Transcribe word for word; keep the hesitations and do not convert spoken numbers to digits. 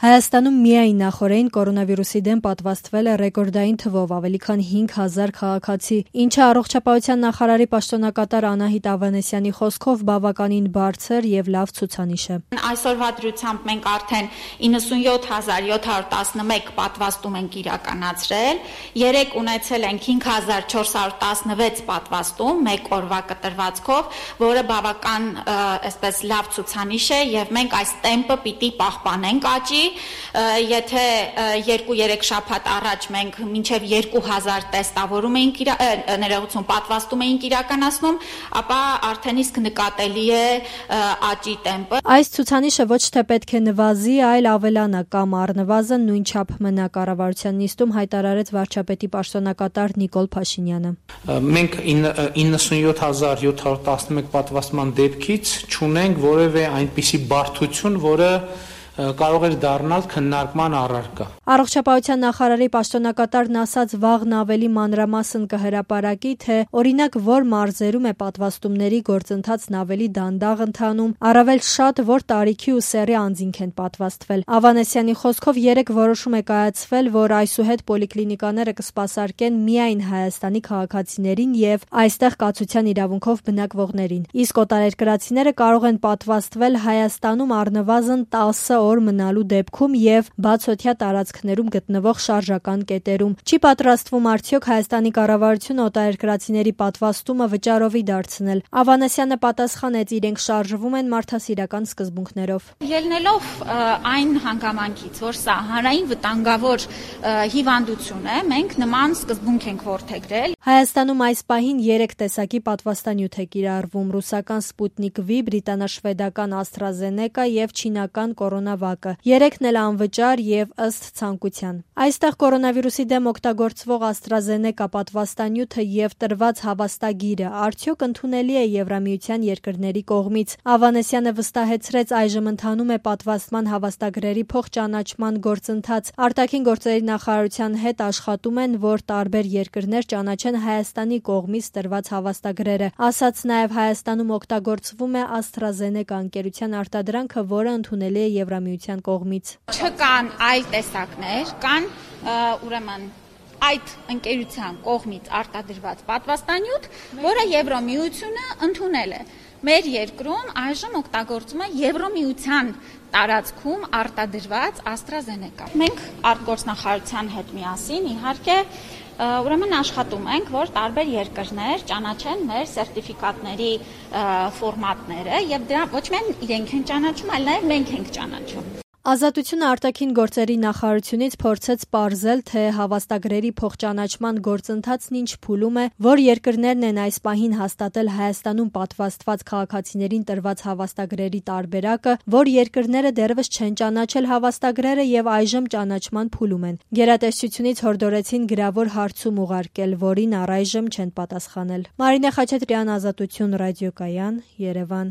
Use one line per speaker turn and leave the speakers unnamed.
Հայաստանում միայն նախօրեին կորոնավիրուսի դեմ պատվաստվել է ռեկորդային թվով ավելի քան հինգ հազար քաղաքացի, ինչը առողջապահության նախարարի պաշտոնակատար Անահիտ Ավանեսյանի խոսքով բավականին բարձր եւ լավ ցուցանիշ է։
Այսօրվա դրությամբ մենք արդեն իննսունյոթ հազար յոթ հարյուր տասնմեկ պատվաստում ենք իրականացրել, երեք ունեցել ենք հինգ հազար չորս հարյուր տասնվեց պատվաստում մեկ օրվա կտրվածքով, որը բավական այսպես լավ ցուցանիշ է եւ մենք այս տեմպը պիտի պահպանենք աճի։ Եթե երկու-երեք շաբաթ առաջ մենք մինչև երկու հազար տեստավորում էինք ներողություն պատվաստում էինք իրականացնում, ապա արդեն իսկ նկատելի է աճի տեմպը։
Այս ցուցանիշը ոչ թե պետք է նվազի, այլ ավելանա կամ առնվազն նույնչափ մնա, կառավարության նիստում հայտարարեց վարչապետի պաշտոնակատար Նիկոլ Փաշինյանը։
Մենք իննսունյոթ հազար յոթ հարյուր տասնմեկ պատվաստման դեպքից չունենք որևէ այնպիսի բարդություն, որը կարող էր դառնալ քննարկման առարկա։
Առողջապահության նախարարի պաշտոնակատարն ասաց վաղն ավելի մանրամասն կհրապարակի, թե օրինակ որ մարզերում է պատվաստումների գործընթացն ավելի դանդաղ ընթանում, առավել շատ որ տարիքի ու սեռի անձինք են պատվաստվել։ Ավանեսյանի խոսքով երեք որոշում է կայացվել, որ այսուհետ պոլիկլինիկաները կսպասարկեն միայն Հայաստանի քաղաքացիներին եւ այստեղ կացության իրավունքով բնակվողներին։ Իսկ օտարերկրացիները կարող են պատվաստվել Հայաստանում առնվազն տասը օր մնալու դեպքում եւ բացօթյա տարածքներում գտնվող շարժական կետերում։ Չի պատրաստվում արդյոք Հայաստանի կառավարությունը օտարերկրացիների պատվաստումը վճարովի դարձնել։ Ավանեսյանը պատասխանեց, իրենք շարժվում են մարդասիրական սկզբունքներով։
Ելնելով այն հանգամանքից, որ սա հանրային վտանգավոր հիվանդություն է, մենք նման սկզբունք ենք որդեգրել։
Հայաստանում այս պահին երեք տեսակի պատվաստանյութ է կիրառվում՝ ռուսական Սպուտնիկ V, բրիտանաշվեդական AstraZeneca եւ չինական Կորոնավակը։ Երեքն էլ անվճար եւ ըստ ցանկության։ Այստեղ կորոնավիրուսի դեմ օգտագործվող AstraZeneca պատվաստանյութը եւ տրված հավաստագիրը արդյոք ընդունելի է Եվրամիության երկրների կողմից։ Ավանեսյանը վստահեցրեց, այժմ ընթանում է պատվաստման հավաստագրերի փոխճանաչման գործընթաց։ Արտաքին գործերի նախարարության հետ աշխատում են, որ տարբեր երկրներ ճանաչեն Հայաստանի կողմից տրված հավաստագրերը։ Ասաց նաեւ Հայաստանում օգտագործվում է AstraZeneca ընկերության արտադրանքը, որը ընդունելի է Եվրամիության կողմից։
Չկան այլ տեսակներ, կան ուրեմն այդ ընկերության կողմից արտադրված պատվաստանյութ, որը Եվրամիությունը ընդունել է։ Մեր երկրում այժմ օգտագործում է Եվրամիության տարածքում արտադրված AstraZeneca։ Մենք արտգործնախարարության հետ միասին իհարկե ուրեմն աշխատում ենք, որ տարբեր երկրներ ճանաչեն մեր սերտիֆիկատների ֆորմատները եւ դրա ոչ միայն իրենք են ճանաչում, այլ նաեւ մենք ենք ճանաչում։
Ազատությունը արտաքին գործերի նախարարությունից փորձեց պարզել, թե հավաստագրերի փոխճանաչման գործընթացն ինչ փուլում է, որ երկրներն են այս պահին հաստատել Հայաստանում պատվաստված քաղաքացիներին տրված հավաստագրերի տարբերակը, որ երկրները դեռևս չեն ճանաչել հավաստագրերը եւ այժմ ճանաչման փուլում են։ Գերատեսչությունից հորդորեցին գրավոր հարցում ուղարկել, որին առայժմ չեն պատասխանել։ Մարինե Խաչատրյան, Ազատություն ռադիոկայան, Երևան։